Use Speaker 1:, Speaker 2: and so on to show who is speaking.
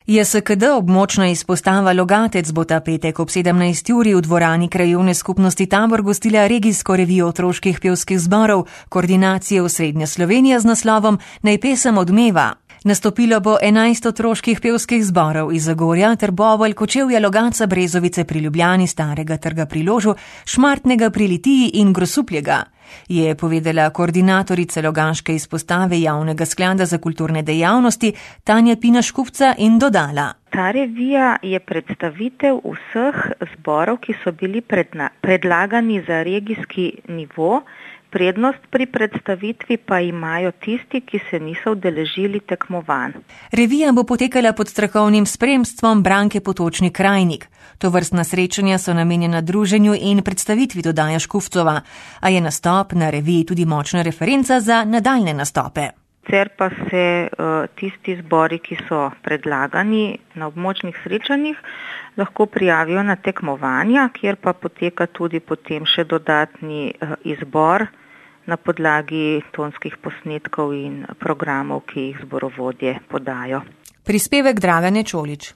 Speaker 1: JSKD območna izpostava Logatec bo ta petek ob 17. uri v dvorani krajevne skupnosti Tabor gostila regijsko revijo otroških pevskih zborov koordinacije Osrednja Slovenija z naslovom Naj pesem odmeva. Nastopilo bo 11 otroških pevskih zborov iz Zagorja, Trbovelj, Kočevja, Logatca, Brezovice pri Ljubljani, Starega trga pri Ložu, Šmartnega pri Litiji in Grosuplja, je povedala koordinatorica Logaške izpostave Javnega sklada za kulturne dejavnosti Tanja Pina-Škufca in dodala.
Speaker 2: Ta revija je predstavitev vseh zborov, ki so bili predlagani za regijski nivo. Prednost pri predstavitvi pa imajo tisti, ki se niso udeležili tekmovanj.
Speaker 1: Revija bo potekala pod strokovnim spremstvom Branke Potočnik-Krajnik. Tovrstna srečanja so namenjena druženju in predstavitvi, dodaja Škufcova, a je nastop na reviji tudi močna referenca za nadaljne nastope.
Speaker 2: Sicer pa se tisti zbori, ki so predlagani na območnih srečanjih, lahko prijavijo na tekmovanja, kjer pa poteka tudi potem še dodatni izbor na podlagi tonskih posnetkov in programov, ki jih zborovodje podajo.
Speaker 1: Prispevek Dragane Čolič.